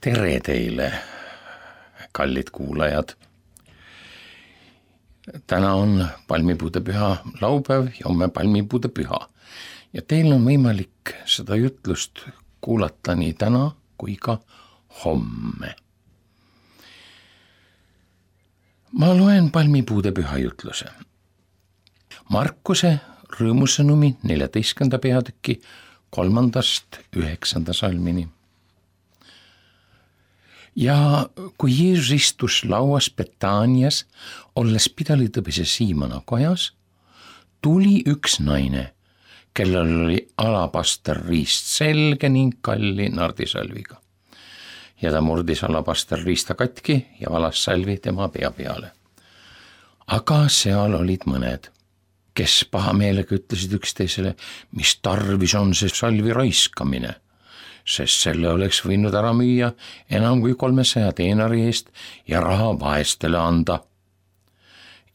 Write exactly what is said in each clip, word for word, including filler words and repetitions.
Tere teile, kallid kuulajad. Täna on palmipuudepüha laupäev ja homme palmipuudepüha. Ja teil on võimalik seda jutlust kuulata nii täna kui ka homme. Ma loen palmipuudepüha jutluse. Markuse rõõmusõnumi neljateistkümnenda peatüki kolmandast üheksanda salmini. Ja kui Jeesus istus lauas Betaanias, olles pidalitõbise Siimona kojas, tuli üks naine, kellel oli alapaster riist selge ning kalli nardisalviga. Ja ta murdis alapaster riista katki ja valas salvi tema pea peale. Aga seal olid mõned, kes pahameelega ütlesid üksteisele, mis tarvis on see salvi raiskamine, sest selle oleks võinud ära müüa enam kui kolmesaja teenari eest ja raha vaestele anda.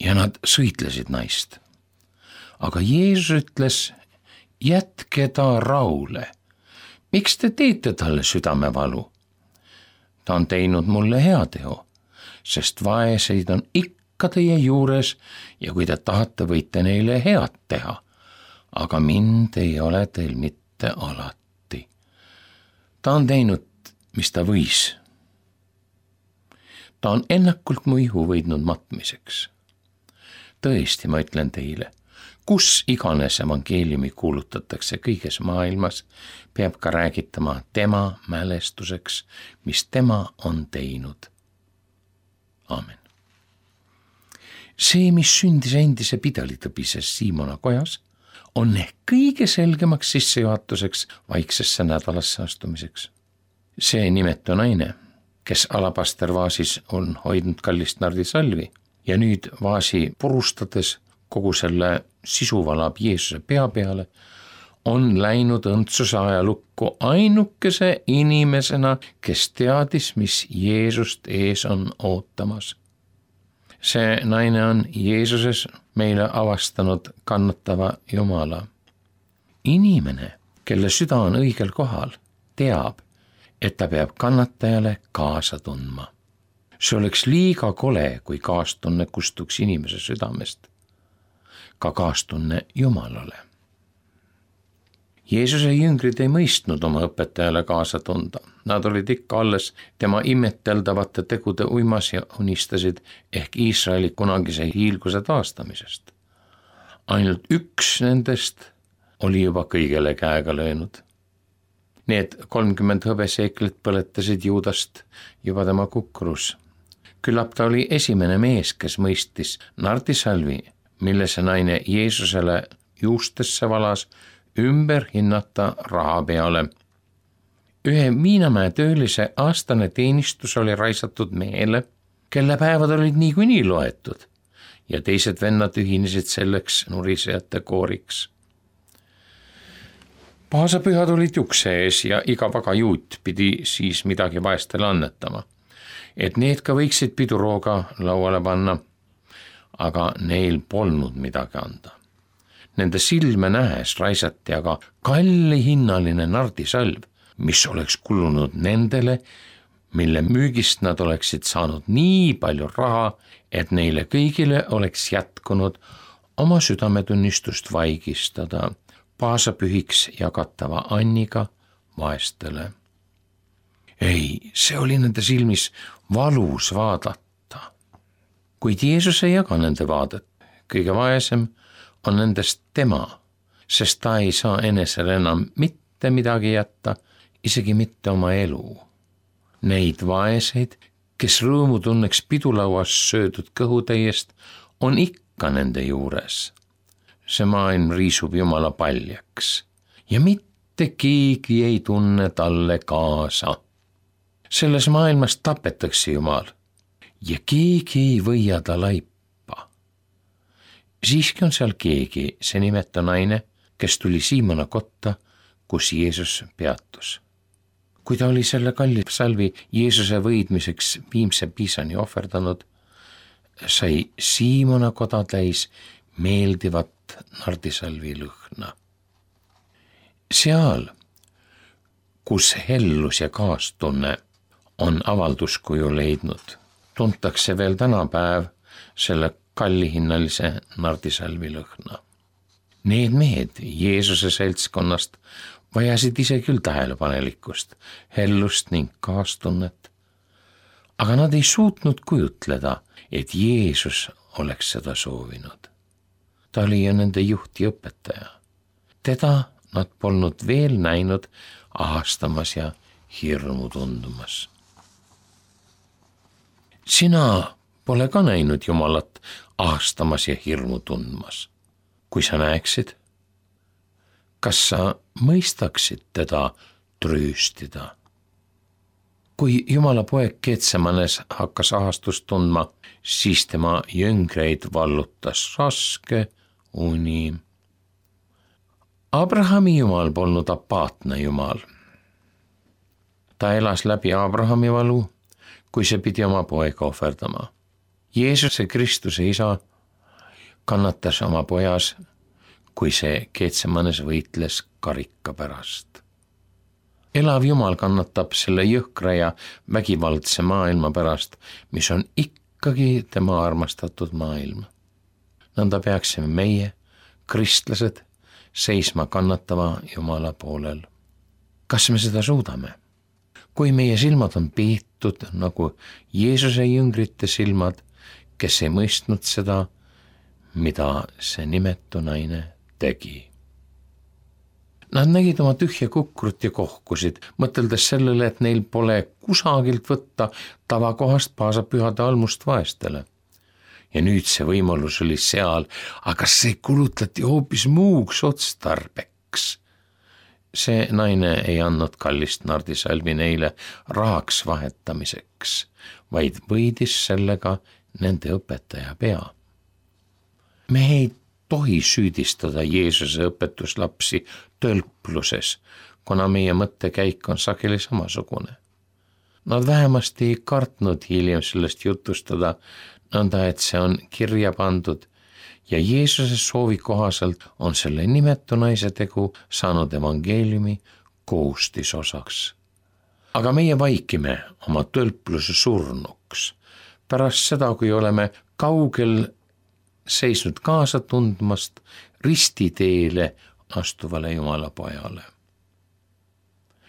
Ja nad sõitlesid naist. Aga Jeesus ütles, jätke ta rahule. Miks te teete talle südamevalu? Ta on teinud mulle heateo, sest vaeseid on ikka teie juures ja kui te tahate, võite neile head teha, aga mind ei ole teil mitte alati. Ta on teinud, mis ta võis. Ta on ennakult mu ihu võidnud matmiseks. Tõesti, ma ütlen teile, kus iganes evangeeliumi kuulutatakse kõiges maailmas, peab ka räägitama tema mälestuseks, mis tema on teinud. Aamen. See, mis sündis endise pidalitõbises Siimona kojas, on ehk kõige selgemaks sissejuhatuseks vaiksesse nädalasse astumiseks. See nimetu naine, kes alapastervaasis on hoidnud kallist nardisalvi ja nüüd vaasi purustades kogu selle sisu valab Jeesuse pea peale, on läinud õndsuse ajalukku ainukese inimesena, kes teadis, mis Jeesust ees on ootamas. See naine on Jeesuses meile avastanud kannatava Jumala. Inimene, kelle süda on õigel kohal, teab, et ta peab kannatajale kaasa tundma. See oleks liiga kole, kui kaastunne kustuks inimese südamest. Ka kaastunne Jumalale. Jeesuse jüngrid ei mõistnud oma õpetajale kaasa tunda. Nad olid ikka alles tema imeteldavate tegude uimas ja unistasid ehk Iisraeli kunagise hiilguse taastamisest. Ainult üks nendest oli juba kõigele käega löönud. Need kolmkümmend hõbeseeklit põletasid Juudast juba tema kukrus. Küllap ta oli esimene mees, kes mõistis nardisalvi, mille see naine Jeesusele juustesse valas, ümber hinnata raha peale. Ühe Viinamäe töölise aastane teenistus oli raisatud mehele, kelle päevad olid niikuinii loetud ja teised vennad ühinesid selleks nurisejate kooriks. Paasapühad olid ukse ees ja iga pagajuut pidi siis midagi vaestele annetama, et need ka võiksid pidurooga lauale panna, aga neil polnud midagi anda. Nende silme nähes raisati aga kallihinnaline nardisalv, mis oleks kulunud nendele, mille müügist nad oleksid saanud nii palju raha, et neile kõigile oleks jätkunud oma südametunnistust vaigistada paasapühiks jagatava anniga vaestele. Ei, see oli nende silmis valus vaadata. Kuid Jeesus ei jaga nende vaadet. Kõige vaesem on nendest tema, sest ta ei saa enesele enam mitte midagi jätta, isegi mitte oma elu. Neid vaeseid, kes rõõmu tunneks pidulauas söödud kõhutäiest, on ikka nende juures. See maailm riisub Jumala paljaks ja mitte keegi ei tunne talle kaasa. Selles maailmas tapetakse Jumal ja keegi ei võia ta laipa. Siiski on seal keegi, see nimeta naine, kes tuli Siimona kotta, kus Jeesus peatus. Kui ta oli selle kalli salvi Jeesuse võidmiseks viimse piisani ohverdanud, sai Siimona koda täis meeldivat nardisalvi lõhna. Seal, kus hellus ja kaastunne on avalduskuju leidnud. Tuntakse veel tänapäev selle kallihinnalise nardisalvi lõhna. Need mehed Jeesuse seltskonnast vajasid ise küll tähelepanelikkust, hellust ning kaastunnet, aga nad ei suutnud kujutleda, et Jeesus oleks seda soovinud. Ta oli ju nende juht ja õpetaja. Teda nad polnud veel näinud ahastamas ja hirmu tundumas. Sina pole ka näinud Jumalat ahastamas ja hirmu tundmas. Kui sa näeksid, kas sa mõistaksid teda trööstida? Kui Jumala poeg Getsemanes hakkas ahastust tundma, siis tema jüngreid vallutas raske uni. Abrahami Jumal polnud apaatne Jumal. Ta elas läbi Abrahami valu, kui see pidi oma poega ohverdama. Jeesuse Kristuse isa kannatas oma pojas, kui see Getsemanes võitles karika pärast. Elav Jumal kannatab selle jõhkra ja vägivaldse maailma pärast, mis on ikkagi tema armastatud maailm. Nõnda peaksime meie, kristlased, seisma kannatava Jumala poolel. Kas me seda suudame? Kui meie silmad on piitud nagu Jeesuse jüngrite silmad, kes ei mõistnud seda, mida see nimetu naine tegi. Nad nägid oma tühja kukrut ja kohkusid, mõteldes sellele, et neil pole kusagilt võtta tavakohast paasa pühade almust vaestele. Ja nüüd see võimalus oli seal, aga see kulutati hoopis muuks otstarbeks. See naine ei andnud kallist nardisalvi neile rahaks vahetamiseks, vaid võidis sellega nende õpetaja pea. Me ei tohi süüdistada Jeesuse õpetuslapsi tölpluses, kuna meie mõttekäik on sageli samasugune. Nad vähemasti ei kartnud hiljem sellest jutustada, nõnda et see on kirja pandud ja Jeesuse soovi kohaselt on selle nimetu naise tegu saanud evangeeliumi koostisosaks. Aga meie vaikime oma tölpluse surnuks. Pärast seda, kui oleme kaugel seisnud kaasa tundmast ristiteele astuvale Jumala pojale.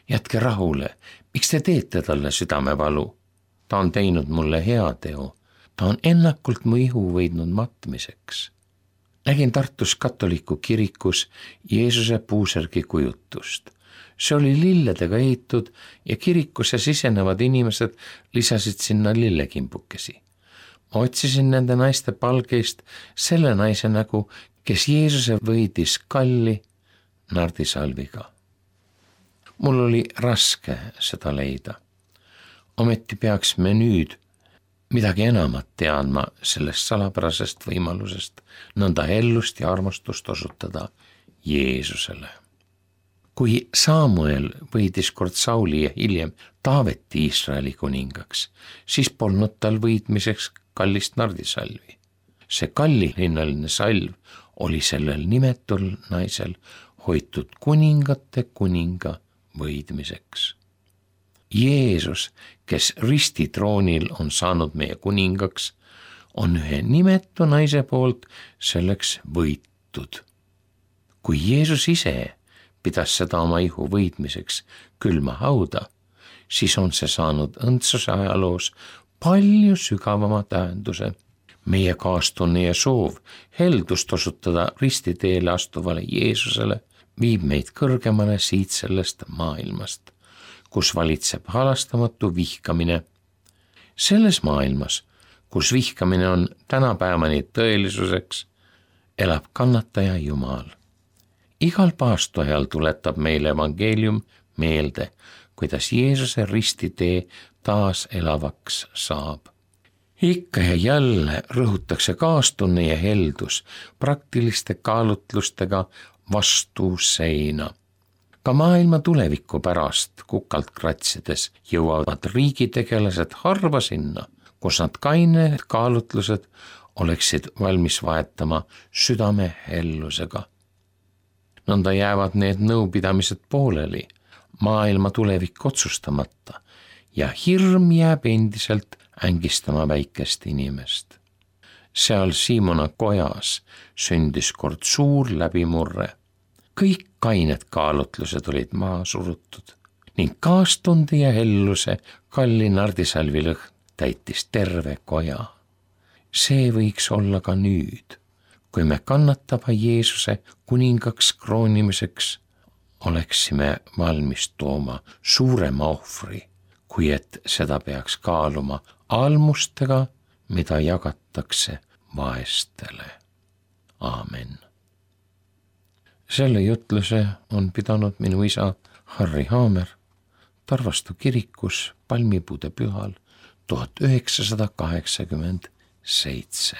Jätke rahule, miks te teete talle südamevalu? Ta on teinud mulle hea teo. Ta on ennakult mu ihu võidnud matmiseks. Nägin Tartus katoliku kirikus Jeesuse puusärgi kujutust. See oli lilledega ehitud ja kirikusse sisenevad inimesed lisasid sinna lillekimbukesi. Ma otsisin nende naiste palgeist selle naise nägu, kes Jeesuse võidis kalli nardisalviga. Mul oli raske seda leida. Ometi peaks me nüüd midagi enamat teadma sellest salapärasest võimalusest, nõnda ellust ja armastust osutada Jeesusele. Kui Samuel võidis kord Sauli ja hiljem Taaveti Iisraeli kuningaks, siis polnud tal võitmiseks kallist nardisalvi. See kallihinnaline salv oli sellel nimetul naisel hoitud kuningate kuninga võidmiseks. Jeesus, kes ristitroonil on saanud meie kuningaks, on ühe nimetu naise poolt selleks võitud. Kui Jeesus ise pidas seda oma ihu võidmiseks külma hauda, siis on see saanud õndsuse ajaloos palju sügavama tähenduse. Meie kaastunne ja soov heldust osutada ristiteele astuvale Jeesusele viib meid kõrgemale siit sellest maailmast, kus valitseb halastamatu vihkamine. Selles maailmas, kus vihkamine on tänapäevani tõelisuseks, elab kannataja Jumal. Igal paastojal tuletab meile evangeelium meelde, kuidas Jeesuse ristitee taas elavaks saab. Ikka ja jälle rõhutakse kaastunne ja heldus praktiliste kaalutlustega vastu seina. Ka maailma tuleviku pärast kukalt kratsides jõuavad riigitegelased harva sinna, kus nad kained kaalutlused oleksid valmis vahetama südame hellusega. Nõnda jäävad need nõupidamised pooleli, maailma tulevik otsustamata ja hirm jääb endiselt ängistama väikest inimest. seal Siimona kojas sündis kord suur läbimurre. kõik kained kaalutlused olid maha surutud ning kaastunde ja helluse kalli nardisalvi lõhn täitis terve koja. see võiks olla ka nüüd, kui me kannatava Jeesuse kuningaks kroonimiseks oleksime valmis tooma suurema ohvri, kui et seda peaks kaaluma almustega, mida jagatakse vaestele. Aamen. selle jutluse on pidanud minu isa Harri Haamer Tarvastu kirikus palmipuude pühal tuhat üheksasada kaheksakümmend seitse.